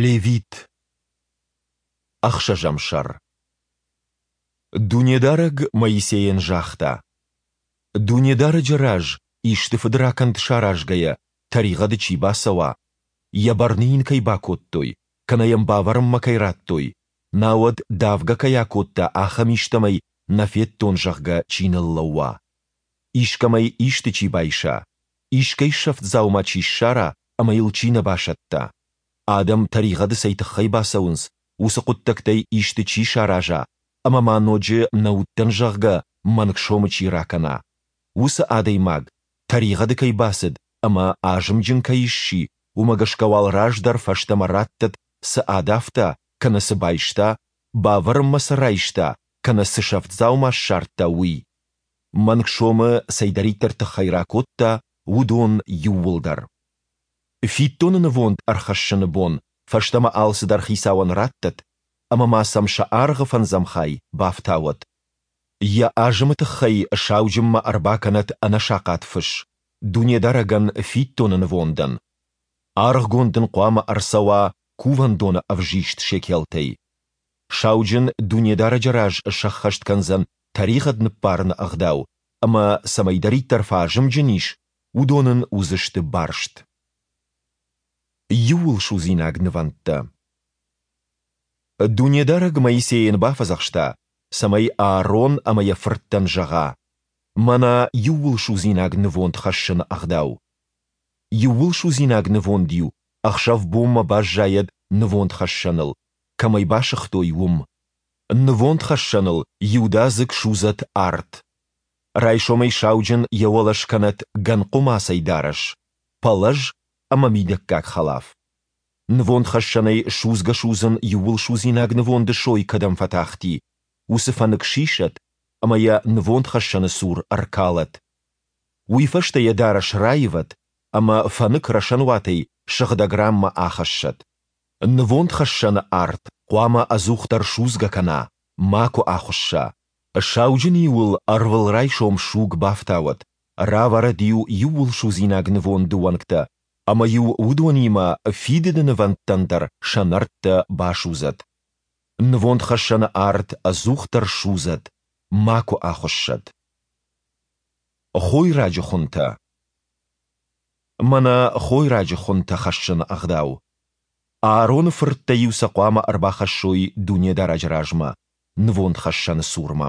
Левит. Ӕхсӕзӕм сӕр. Дунедарӕг Моисейӕн загъта: Дунедарӕджы раз исты фыдракӕнд саразгӕйӕ, тӕригъӕды чи бацӕуа, йӕ бӕрны йын кӕй бакодтой, кӕнӕ йӕм бавӕрынмӕ кӕй радтой, науӕд давгӕ кӕй акодта, ахӕм истӕмӕй нӕ федтон, зӕгъгӕ, чи ныллӕууа. Искӕмӕй исты чи байса, искӕй сӕфт дзаума чи ссара ӕмӕ йыл чи нӕ басӕтта. Адӕм тӕригъӕды цӕй тыххӕй бацӕуынц, уыцы хъуыддӕгтӕй исты чи сараза ӕмӕ ма ноджы нӕ уыдтӕн, зӕгъгӕ, мӕнг сомы чи ракӕна. Уыцы адӕймаг, тӕригъӕды кӕй бацыд ӕмӕ азымджын кӕй сси, уымӕ гӕсгӕ уал раздӕр фӕстӕмӕ раттӕд, цы адавта, кӕнӕ цы байста, бавӕрынмӕ цы райста, кӕнӕ цы сӕфт дзаума ссардта, уый. Мӕнг сомы цӕйдӕриддӕр тыххӕй ракодта, уыдон иууылдӕр. Фиддоны нывонд ӕрхӕссыны бон фӕстӕмӕ алцыдӕр хицауӕн раттӕд, ӕмӕ ма сӕм сӕ аргъы фӕндзӕм хай бафтауӕд. Йӕ азымы тыххӕй сауджынмӕ ӕрбакӕнӕд ӕнӕсахъат фыс, Дунедарӕгӕн фиддоны нывондӕн. Аргъгонд ын хъуамӕ ӕрцӕуа кувӕндоны ӕвзист шекелтӕй. Сауджын Дунедарӕджы раз сӕххӕст кӕндзӕн тӕригъӕд ныббарыны ӕгъдау, ӕмӕ цӕмӕйдӕриддӕр фӕазымджын ис, уыдон ын уыдзысты барст. Иууылсудзинаг нывӕндтӕ. Дунедарӕг Моисейӕн бафӕдзӕхста, цӕмӕй Аарон ӕмӕ йӕ фырттӕн зӕгъа: Мӕнӕ иууылсудзинаг нывонд хӕссыны ӕгъдау. Иууылсудзинаг нывонд-иу ӕхсӕв-бонмӕ баззайӕд нывондхӕссӕныл, кӕм ӕй басыгътой, уым. Нывондхӕссӕныл иудадзыг судзӕд арт. Райсомӕй сауджын йӕ уӕлӕ скӕнӕд гӕн хъуымацӕй дарӕс, пӕлӕз ӕмӕ мидӕггаг хӕлаф. Нывондхӕссӕнӕй судзгӕ-судзын иууылсудзинаг нывонды сой кӕдӕм фӕтахти, уыцы фӕнык сисӕд ӕмӕ йӕ нывондхӕссӕны цур ӕркалӕд. Уый фӕстӕ йӕ дарӕс раивӕд ӕмӕ фӕнык рӕсӕнуатӕй сыгъдӕг ранмӕ ахӕссӕд. Нывондхӕссӕны арт хъуамӕ ӕдзухдӕр судзгӕ кӕна, макуы ахуысса. Сауджын-иу ыл ӕрвылрайсом суг бафтауӕд, равӕрӕд-иу иууылсудзинаг нывонды уӕнгтӕ ӕмӕ-иу уыдонимӕ фидыды нывӕндтӕн дӕр сӕ нӕрдтӕ басудзӕд. Нывондхӕссӕны арт ӕдзухдӕр судзӕд, макуы ахуыссӕд. Хойраджы хуынтӕ. Мӕнӕ хойраджы хуынтӕ хӕссыны ӕгъдау. Аароны фырттӕ-иу сӕ хъуамӕ ӕрбахӕссой Дунедарӕджы размӕ, нывондхӕссӕны цурмӕ.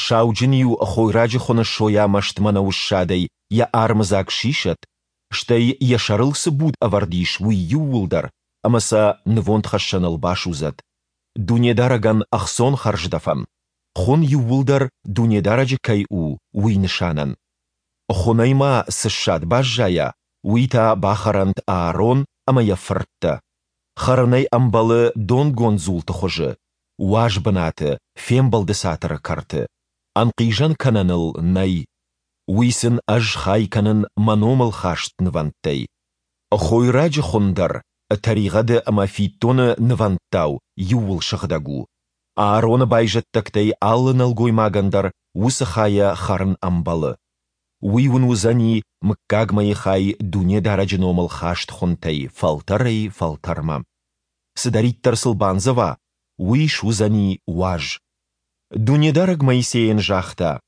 Сауджын-иу хойраджы хуыны сойамӕст мӕнӕуы ссадӕй йӕ армыдзаг сисӕд, стӕй йӕ сӕрыл цы буд ӕвӕрд ис, уый иууылдӕр, ӕмӕ сӕ нывондхӕссӕныл басудзӕд. Дунедарӕгӕн ӕхцон хӕрздӕфӕн, хуын иууылдӕр Дунедарӕджы кӕй у, уый нысанӕн. Хуынӕй ма цы ссад баззайа, уый та бахӕрӕнт Аарон ӕмӕ йӕ фырттӕ. Хӕрын ӕй ӕмбӕлы донгонд дзулты хуызы, уаз бынаты, фембӕлды цатыры кӕрты. Ӕнхъизӕн кӕнӕн ыл нӕй. Уый сын ӕз хай кӕнын мӕ номыл хаст нывӕндтӕй. Хойраджы хуын дӕр, тӕригъӕды ӕмӕ фиддоны нывӕндтау, иууыл сыгъдӕг у. Аароны байзӕддӕгтӕй алы нӕлгоймагӕн дӕр уыцы хайӕ хӕрын ӕмбӕлы. Уый уын уыдзӕни мыггагмӕйы хай Дунедарӕджы номыл хаст хуынтӕй фӕлтӕрӕй-фӕлтӕрмӕ. Цыдӕриддӕр сыл бандзӕва, уый суыдзӕни уаз. Дунедарӕг Моисейӕн загъта: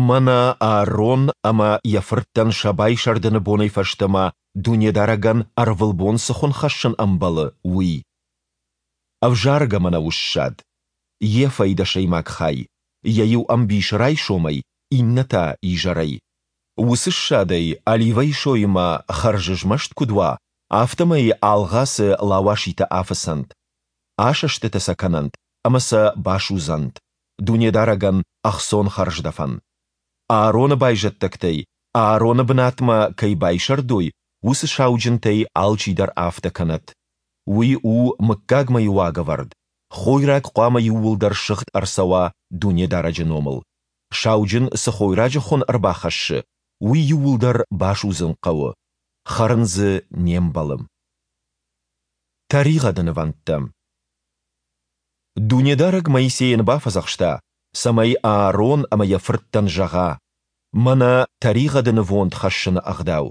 Мӕнӕ Аарон ӕмӕ йӕ фырттӕн сӕ байсӕрдыны бонӕй фӕстӕмӕ Дунедарӕгӕн ӕрвылбон цы хуын хӕссын ӕмбӕлы, уый. Ӕвзаргӕ мӕнӕуы ссад, ефӕй дӕсӕймаг хай, йӕ иу ӕмбис райсомӕй, иннӕ та изӕрӕй. Уыцы ссадӕй оливӕйы соимӕ хӕрзызмӕст куыд уа, афтӕмӕй алгъацы лауаситӕ афыцӕнт, асӕстытӕ сӕ кӕнӕнт ӕмӕ сӕ басудзӕнт Дунедарӕгӕн ӕхцон хӕрздӕфӕн. Аароны байзӕддӕгтӕй Аароны бынатмӕ кӕй байсӕрдой, уыцы сауджынтӕй алчидӕр афтӕ кӕнӕд. Уый у мыггагмӕйы уагӕвӕрд, хойраг хъуамӕ иууылдӕр сыгъд ӕрцӕуа Дунедарӕджы номыл. Сауджын цы хойраджы хуын ӕрбахӕссы, уый иууылдӕр басудзын хъӕуы, хӕрын дзы не мбӕлы. Тӕригъӕды нывӕндтӕ. Дунедарӕг Моисейӕн бафӕдзӕхста, цӕмӕй Аарон ӕмӕ йӕ фырттӕн зӕгъа: Мӕнӕ тӕригъӕды нывонд хӕссыны ӕгъдау.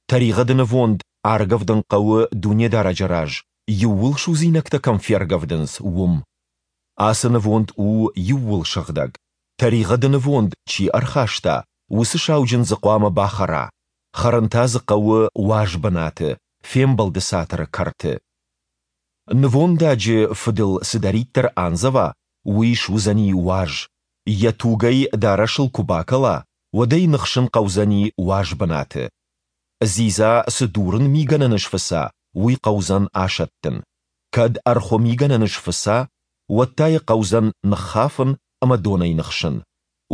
Тӕригъӕды нывонд аргӕвдын хъӕуы Дунедарӕджы раз. иууылсудзинӕгтӕ кӕм фергӕвдынц, уым. Ацы нывонд у иууылсыгъдӕг. Тӕригъӕды нывонд чи ӕрхаста, уыцы сауджын дзы хъуамӕ бахӕра, хӕрын та дзы хъӕуы уаз бынаты, Фембӕлды Цатыры кӕрты. Нывондаджы фыдыл цыдӕриддӕр андзӕва, уый суыдзӕни уаз. Йӕ туг ӕй дарӕсыл куы бакӕла, уӕд ӕй ныхсын хъӕудзӕни уаз бынаты. Дзидза цы дурын мигӕнӕны сфыца, уый хъӕудзӕн асӕттын. Кӕд ӕрхуы мигӕнӕны сфыца, уӕд та йӕ хъӕудзӕн ныххафын ӕмӕ донӕй ныхсын.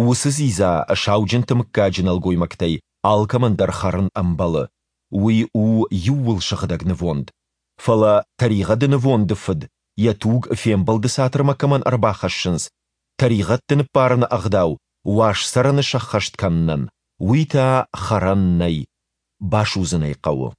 Уыцы дзидза сауджынты мыггаджы нӕлгоймӕгтӕй алкӕмӕн дӕр хӕрын ӕмбӕлы. Уый у иууылсыгъдӕг нывонд. Фӕлӕ тӕригъӕды нывонды фыд, йӕ туг Фембӕлды Цатырмӕ кӕмӕн ӕрбахӕссынц, тӕригъӕдты ныббарыны ӕгъдау уаз цӕрӕны сӕххӕст кӕнынӕн, уый та хӕрӕн нӕй, басудзын ӕй хъӕуы.